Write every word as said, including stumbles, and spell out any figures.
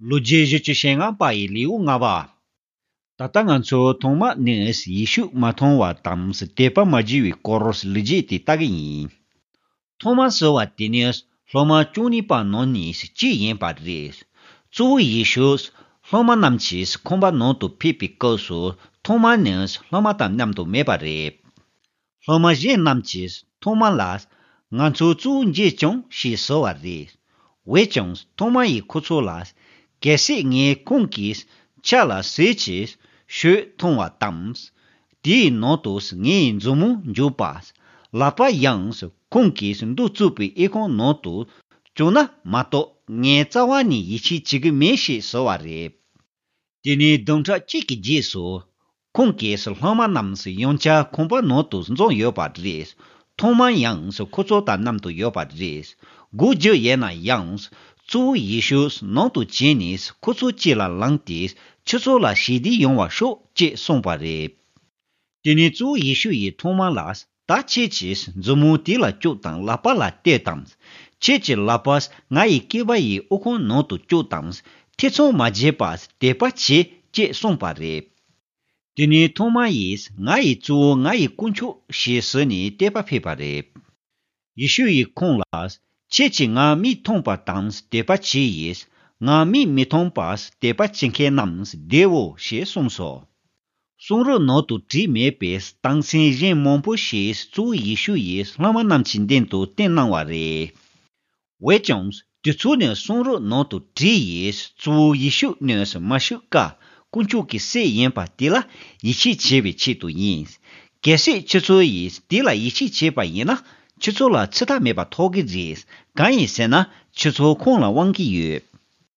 ལོ་རྒྱུས་བཞི་བཅུ་ཞེ་ལྔ་པ་ཡི་ལེའུ་ལྔ་པ། ད་ལྟ་ང་ཚོ་ཐོ་མ་ནི་ཡེ་ཤུ་མ་མཐོང་བ་དང་དད་པ་མ་བྱས་པའི་སྐོར་ལོ་རྒྱུས་དེ་ལྟ་གི་ཡིན། ཐོ་མ་ཟེར་བ་དེ་ནི་སློབ་མ་བཅུ་གཉིས་པ་ནང་ནས་གཅིག་ཡིན་པ་རེད། གཙོ་བོ་ཡེ་ཤུས་སློབ་མ་རྣམས་ཀྱིས་ཁང་པ་ནང་དུ་ཕེབས་པའི་སྐབས་སུ་ཐོ་མ་ནི་སློབ་མ་དང་མཉམ་དུ་མེད་པ་རེད། སློབ་མ་གཞན་རྣམས་ཀྱིས་ཐོ་མ་ལ། ང་ཚོ་གཙོ་བོ་མཇལ་བྱུང་ཞེས་ཟེར་བ་རེད། འོན་ཀྱང་ཐོ་མ་ཡིས་ཁོ་ཚོ་ལ། གལ་སྲིད་ངས་ཁོང་གི་ཕྱག་ལ་ཟུར་གྱིས་གཞུ་མཐོང་བ་དང་། དེའི་ནང་དུ་ངའི་མཛུབ་མོ་འཇུག་པ། ལག་པ་ཡང་ཁོང་གི་མདུན་བཙུགས་པའི་ཨི་ཁུང་ནང་དུ་བཅུག་ན་མ་གཏོགས་ངས་རྩ་བ་ནས་ཡིད་ཆེས་བྱེད་ཀྱི་མེད་ཞེས་ཟེར་བ་རེད། དེ་ནས་བདུན་ཕྲག་གཅིག་གི་རྗེས་སུ། ཁོང་གིས་སློབ་མ་རྣམས་ཡང་བསྐྱར་ཁང་པ་ནང་དུ་འཛོམས་ཡོད་པ་རེད། ཐོ་མ་ཡང་ཁོ་ཚོ་དང་མཉམ་དུ་ཡོད་པ་རེད། སྒོ་རྒྱུ་ཡོད་ན་ཡང་། གཙོ་བོ་ཡེ་ཤུ་ནང་དུ་བྱོན་ནས་ཁོ་ཚོ་དཀྱིལ་ལ་ལངས་ཏེ། ཁྱོད་ཚོ་ལ་ཞི་བདེ་ཡོང་བར་ཤོག་ཅེས་གསུངས་པ་རེད། དེ་ནས་གཙོ་བོ་ཡེ་ཤུ་ཡིས་ཐོ་མ་ལ། ད་ཁྱེད་ཀྱིས་མཛུབ་མོ་དེ་ལ་བཅུག་དང་ལག་པ་ལ་གཏད་དང་། ཁྱེད་ཀྱི་ལག་པ་ང་ཡི་སྐེད་པ་ཡི་ཨི་ཁུང་ནང་དུ་བཅུག་དང་། ཐེ་ཚོམ་མ་བྱེད་པར་དད་པ་བྱེད་ཅེས་གསུངས་པ་རེད། དེ་ནས་ཐོ་མ་ཡིས་ང་ཡི་གཙོ་བོ་ང་ཡི་དཀོན་མཆོག་ཞེས་ཟེར་ནས་དད་པ་ཕེབས་པ་རེད། ཡེ་ཤུ་ཡིས་ཁོང་ལ། ཁྱེད་ཀྱིས་ང་མིག་མཐོང་པ་དང་དད་པ་བྱས་ཡིས། ང་མིག་མི་མཐོང་པར་དད་པ་བྱེད་མཁན་རྣམས་བདེའོ་ཞེས་གསུངས་སོ། གསུང་རབ་ནང་དུ་བྲིས་མེད་པའི་རྟགས་མཚན་གཞན་མང་པོ་ཞིག་གཙོ་བོ་ཡེ་ཤུ་ཡིས་སློབ་མ་རྣམས་ཀྱི་མདུན་དུ་བསྟན་གནང་བ་རེད། འོན་ཀྱང་དེ་ཚོ་ནི་གསུང་རབ་ནང་དུ་བྲིས་ཡིས་གཙོ་བོ་ཡེ་ཤུ་ནི་མ་ཤི་ཀ་དཀོན་མཆོག་གི་སྲས་ཡིན་པ་དེ་ལ་ཡིད་ཆེས་བྱེད་པའི་ཆེད་དུ་ཡིན། གལ་སྲིད་ཁྱེད་ཚོ་ཡིས་དེ་ལ་ཡིད་ཆེས་བྱས་པ་ཡིན་ན་ཁྱེད་ཚོ་ལ་ཚིག་ཐག་མེད་པ་ཐོབ་ཀྱི་རེད། གང་ཡིན་ཟེར་ན་ཁྱེད་ཚོ་ཁོང་ལ་དབང་གི་ཡོད།